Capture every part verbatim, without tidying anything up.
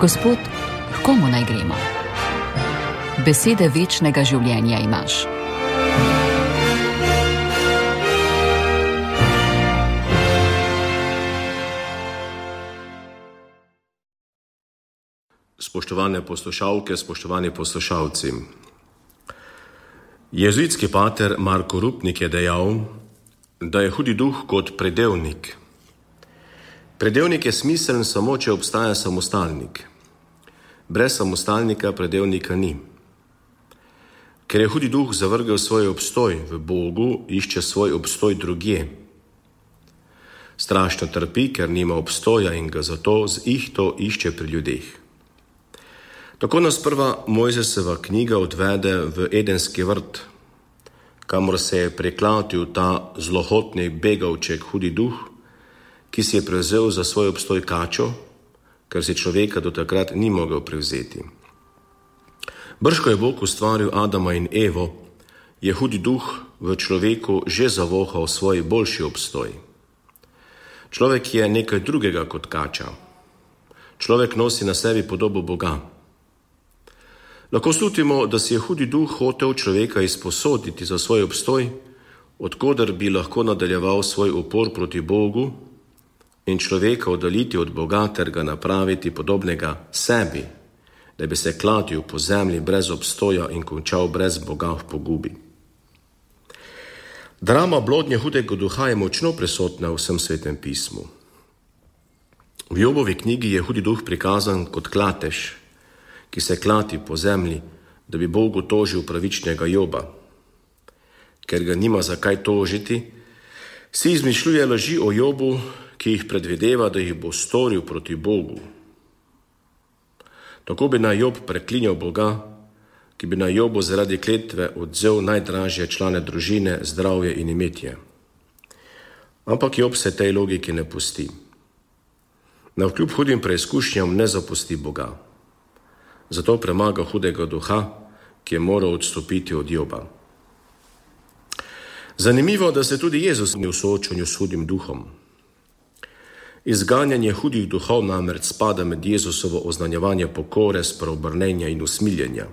Gospod, h komu naj gremo? Besede večnega življenja imaš. Spoštovane poslušalke, spoštovani poslušalci. Jezuitski pater Marko Rupnik je dejal, da je hudi duh kot predevnik. Predevnik je smiseln samo, če obstaja samostalnik. Brez samostalnika predevnika ni. Ker je hudi duh zavrgel svoj obstoj v Bogu, išče svoj obstoj drugje. Strašno trpi, ker nima obstoja in ga zato z ihto išče pri ljudeh. Tako nas prva Mojzesova knjiga odvede v Edenski vrt, kamor se je priklatil ta zlohotni begavček hudi duh, ki si je prevzel za svoj obstoj kačo, ker si človeka do takrat ni mogel prevzeti. Brž ko je Bog ustvaril Adama in Evo, je hudi duh v človeku že zavohal svoj boljši obstoj. Človek je nekaj drugega kot kača. Človek nosi na sebi podobo Boga. Lahko slutimo, da si je hudi duh hotel človeka izposoditi za svoj obstoj, odkoder bi lahko nadaljeval svoj upor proti Bogu in človeka oddaliti od Boga ter ga napraviti podobnega sebi, da bi se klatil po zemlji brez obstoja in končal brez Boga v pogubi. Drama blodnje hudega duha je močno prisotna v vsem svetem pismu. V Jobovi knjigi je hudi duh prikazan kot klatež, ki se klati po zemlji, da bi Bogu tožil pravičnega Joba. Ker ga nima za kaj tožiti, si izmišljuje laži o Jobu, ki jih predvideva, da jih bo storil proti Bogu. Tako bi naj Job preklinjal Boga, ki bi naj Jobu zaradi kletve odvzel najdražje člane družine, zdravje in imetje. Ampak Job se tej logiki ne pusti. Navkljub hudim preizkušnjam ne zapusti Boga. Zato premaga hudega duha, ki je moral odstopiti od Joba. Zanimivo, da se tudi Jezus ni v soočanju s hudim duhom. Izganjanje hudih duhov namreč spada med Jezusovo oznanjevanje pokore, spreobrnenja in usmiljenja.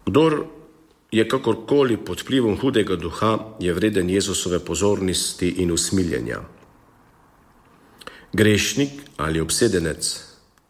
Kdor je kakorkoli pod vplivom hudega duha, je vreden Jezusove pozornosti in usmiljenja. Grešnik ali obsedenec,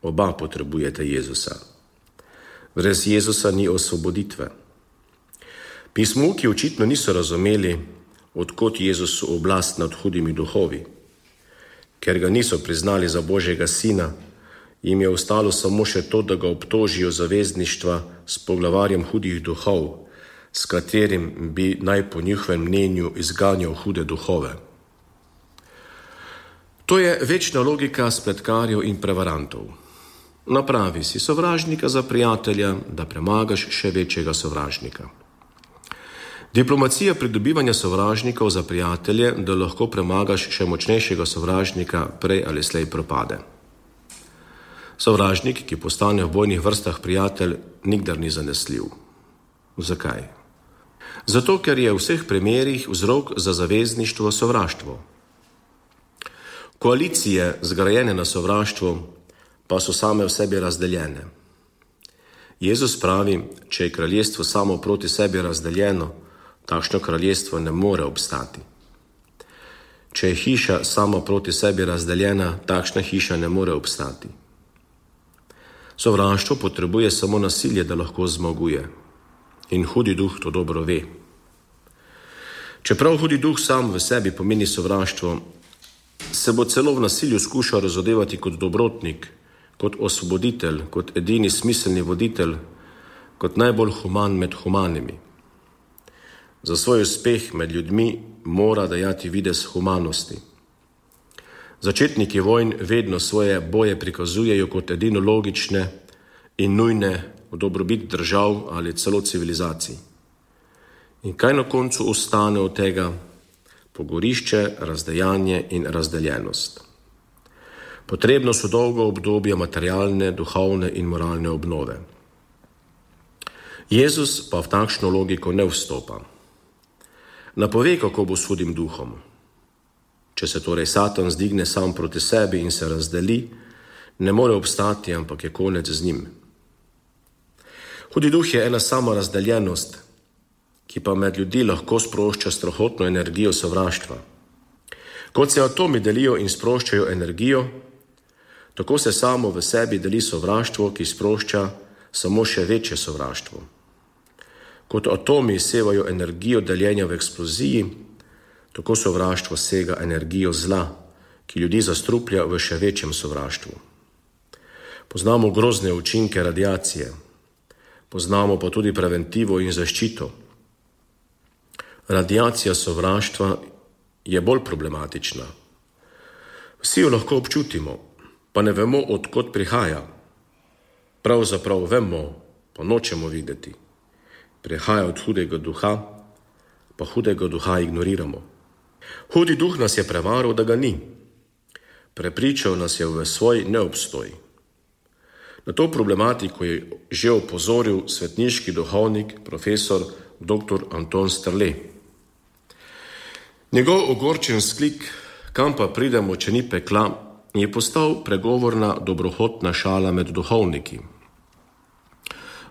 oba potrebujete Jezusa. Brez Jezusa ni osvoboditve. Pismovki očitno niso razumeli, odkot Jezusu oblast nad hudimi duhovi. Ker ga niso priznali za Božjega sina, jim je ostalo samo še to, da ga obtožijo zavezništva s poglavarjem hudih duhov, s katerim bi naj po njihovem mnenju izganjal hude duhove. To je večna logika spletkarjev in prevarantov. Napravi si sovražnika za prijatelja, da premagaš še večjega sovražnika. Diplomacija pridobivanja sovražnikov za prijatelje, da lahko premagaš še močnejšega sovražnika, prej ali slej propade. Sovražnik, ki postane v bojnih vrstah prijatelj, nikdar ni zanesljiv. Zakaj? Zato, ker je v vseh primerih vzrok za zavezništvo sovraštvo. Koalicije, zgrajene na sovraštvu, pa so same v sebi razdeljene. Jezus pravi, če je kraljestvo samo proti sebi razdeljeno, takšno kraljestvo ne more obstati. Če je hiša sama proti sebi razdeljena, takšna hiša ne more obstati. Sovraštvo potrebuje samo nasilje, da lahko zmaguje. In hudi duh to dobro ve. Čeprav hudi duh sam v sebi pomeni sovraštvo, se bo celo v nasilju skušal razodevati kot dobrotnik, kot osvoboditelj, kot edini smiselni voditelj, kot najbolj human med humanimi. Za svoj uspeh med ljudmi mora dajati videz humanosti. Začetniki vojn vedno svoje boje prikazujejo kot edino logične in nujne v dobrobit držav ali celo civilizacij. In kaj na koncu ostane od tega? Pogorišče, razdejanje in razdeljenost. Potrebno so dolgo obdobje materialne, duhovne in moralne obnove. Jezus pa v takšno logiko ne vstopa. Napove, kako bo s hudim duhom. Če se torej Satan zdigne sam proti sebi in se razdeli, ne more obstati, ampak je konec z njim. Hudi duh je ena sama razdeljenost, ki pa med ljudi lahko sprošča strahotno energijo sovraštva. Kot se atomi delijo in sproščajo energijo, tako se samo v sebi deli sovraštvo, ki sprošča samo še večje sovraštvo. Kot atomi sevajo energijo deljenja v eksploziji, tako sovraštvo sega energijo zla, ki ljudi zastruplja v še večjem sovraštvu. Poznamo grozne učinke radiacije, poznamo pa tudi preventivo in zaščito. Radiacija sovraštva je bolj problematična. Vsi jo lahko občutimo, pa ne vemo, od kod prihaja. Pravzaprav vemo, pa nočemo videti. Prihaja od hudega duha, pa hudega duha ignoriramo. Hudi duh nas je prevaral, da ga ni. Prepričal nas je v svoj neobstoj. Na to problematiko je že opozoril svetniški duhovnik, profesor doktor Anton Strle. Njegov ogorčen sklik, kam pa pridemo, če ni pekla, je postal pregovorna dobrohotna šala med duhovniki.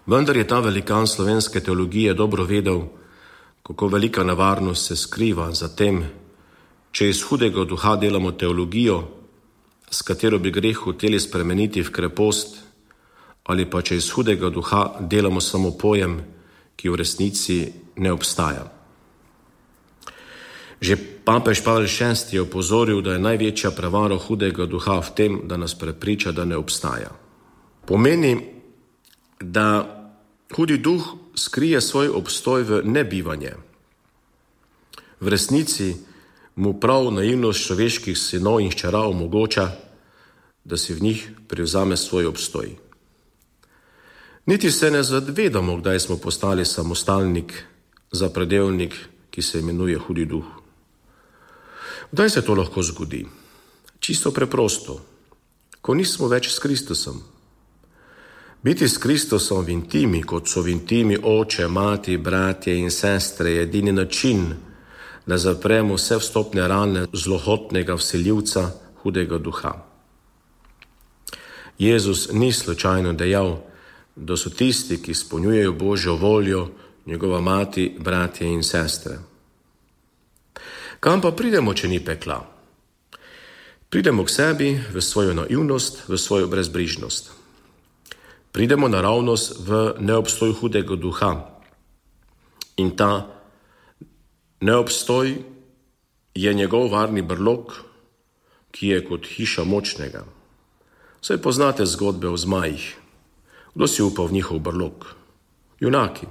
Vendar je ta velikan slovenske teologije dobro vedel, kako velika nevarnost se skriva za tem, če iz hudega duha delamo teologijo, s katero bi greh hoteli spremeniti v krepost, ali pa če iz hudega duha delamo samo pojem, ki v resnici ne obstaja. Že papež Pavel šesti je opozoril, da je največja prevara hudega duha v tem, da nas prepriča, da ne obstaja. Pomeni, da hudi duh skrije svoj obstoj v nebivanje. V resnici mu prav naivnost človeških sinov in hčera omogoča, da si v njih prevzame svoj obstoj. Niti se ne zavedamo, kdaj smo postali samostalnik, zapredelnik, ki se imenuje hudi duh. Kdaj se to lahko zgodi? Čisto preprosto, ko nismo več s Kristusom. Biti s Kristusom v intimi, kot so v intimi oče, mati, bratje in sestre, je edini način, da zapremo vse vstopne rane zlohotnega vsiljivca hudega duha. Jezus ni slučajno dejal, da so tisti, ki izpolnjujejo Božjo voljo, njegova mati, bratje in sestre. Kam pa pridemo, če ni pekla? Pridemo k sebi v svojo naivnost, v svojo brezbrižnost. Pridemo naravnost v neobstoj hudega duha. In ta neobstoj je njegov varni brlog, ki je kot hiša močnega. Saj poznate zgodbe o zmajih. Kdo si upa v njihov brlog? Junaki.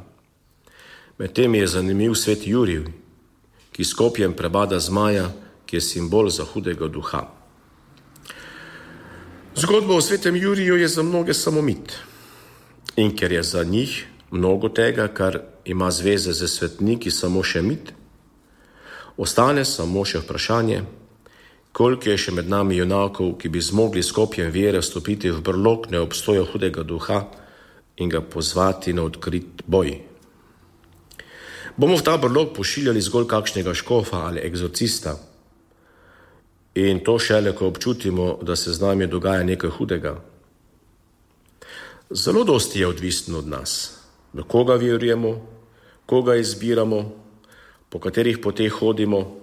Medtem je zanimiv svet Jurij, ki s kopjem prebada zmaja, ki je simbol za hudega duha. Zgodba o svetem Juriju je za mnoge samo mit. In ker je za njih mnogo tega, kar ima zveze z svetniki, samo še mit, ostane samo še vprašanje, koliko je še med nami junakov, ki bi zmogli s kopjem vere vstopiti v brlog neobstoja hudega duha in ga pozvati na odkrit boj. Bomo v ta brlog pošiljali zgolj kakšnega škofa ali egzorcista in to šele, ko občutimo, da se z nami dogaja nekaj hudega. Zelo dosti je odvisno od nas, do koga verujemo, koga izbiramo, po katerih poteh hodimo.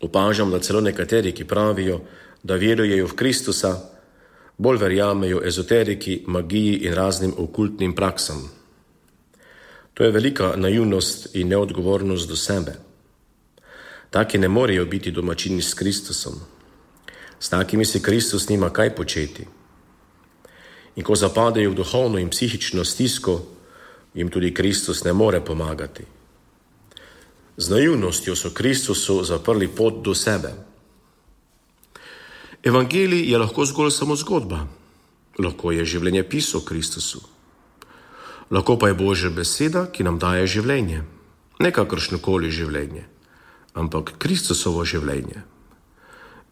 Opažam, da celo nekateri, ki pravijo, da verujejo v Kristusa, bolj verjamejo ezoteriki, magiji in raznim okultnim praksam. To je velika naivnost in neodgovornost do sebe. Taki ne morejo biti domačini s Kristusom. S takimi si Kristus nima kaj početi. In ko zapadejo v duhovno in psihično stisko, jim tudi Kristus ne more pomagati. Z naivnostjo so Kristusu zaprli pot do sebe. Evangelij je lahko zgolj samo zgodba. Lahko je življenje pis o Kristusu. Lahko pa je Božja beseda, ki nam daje življenje. Ne kakršnokoli življenje, ampak Kristusovo življenje.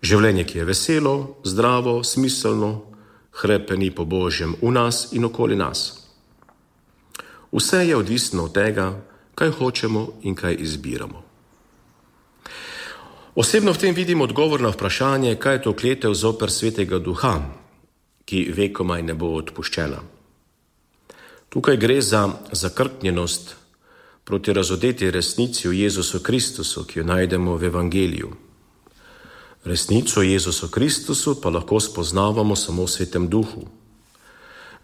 Življenje, ki je veselo, zdravo, smiselno, hrepeni po Božjem v nas in okoli nas. Vse je odvisno od tega, kaj hočemo in kaj izbiramo. Osebno v tem vidim odgovor na vprašanje, kaj je to kletev zoper svetega duha, ki vekomaj ne bo odpuščena. Tukaj gre za zakrknjenost proti razodeti resnici o Jezusu Kristusu, ki jo najdemo v Evangeliju. Resnico o Jezusu Kristusu pa lahko spoznavamo samo v Svetem Duhu.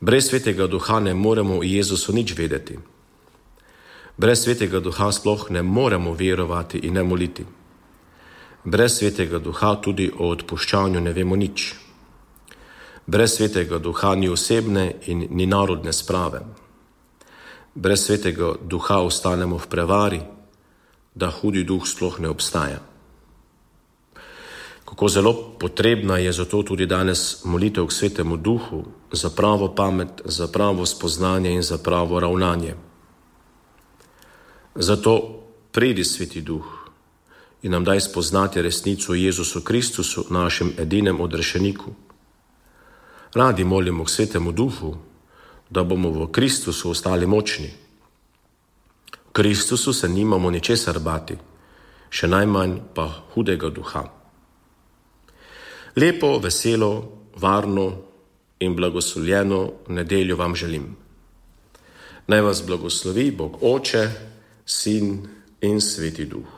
Brez Svetega Duha ne moremo o Jezusu nič vedeti. Brez Svetega Duha sploh ne moremo verovati in ne moliti. Brez Svetega Duha tudi o odpuščanju ne vemo nič. Brez Svetega Duha ni osebne in ni narodne sprave. Brez Svetega Duha ostanemo v prevari, da hudi duh sploh ne obstaja. Kako zelo potrebna je zato tudi danes molitev k Svetemu Duhu za pravo pamet, za pravo spoznanje in za pravo ravnanje. Zato pridi Sveti Duh in nam daj spoznati resnico o Jezusu Kristusu, našem edinem odrešeniku. Radi molimo k Svetemu Duhu, da bomo v Kristusu ostali močni. V Kristusu se nimamo ničesar bati, še najmanj pa hudega duha. Lepo, veselo, varno in blagoslovljeno nedeljo vam želim. Naj vas blagoslovi Bog Oče, Sin in Sveti Duh.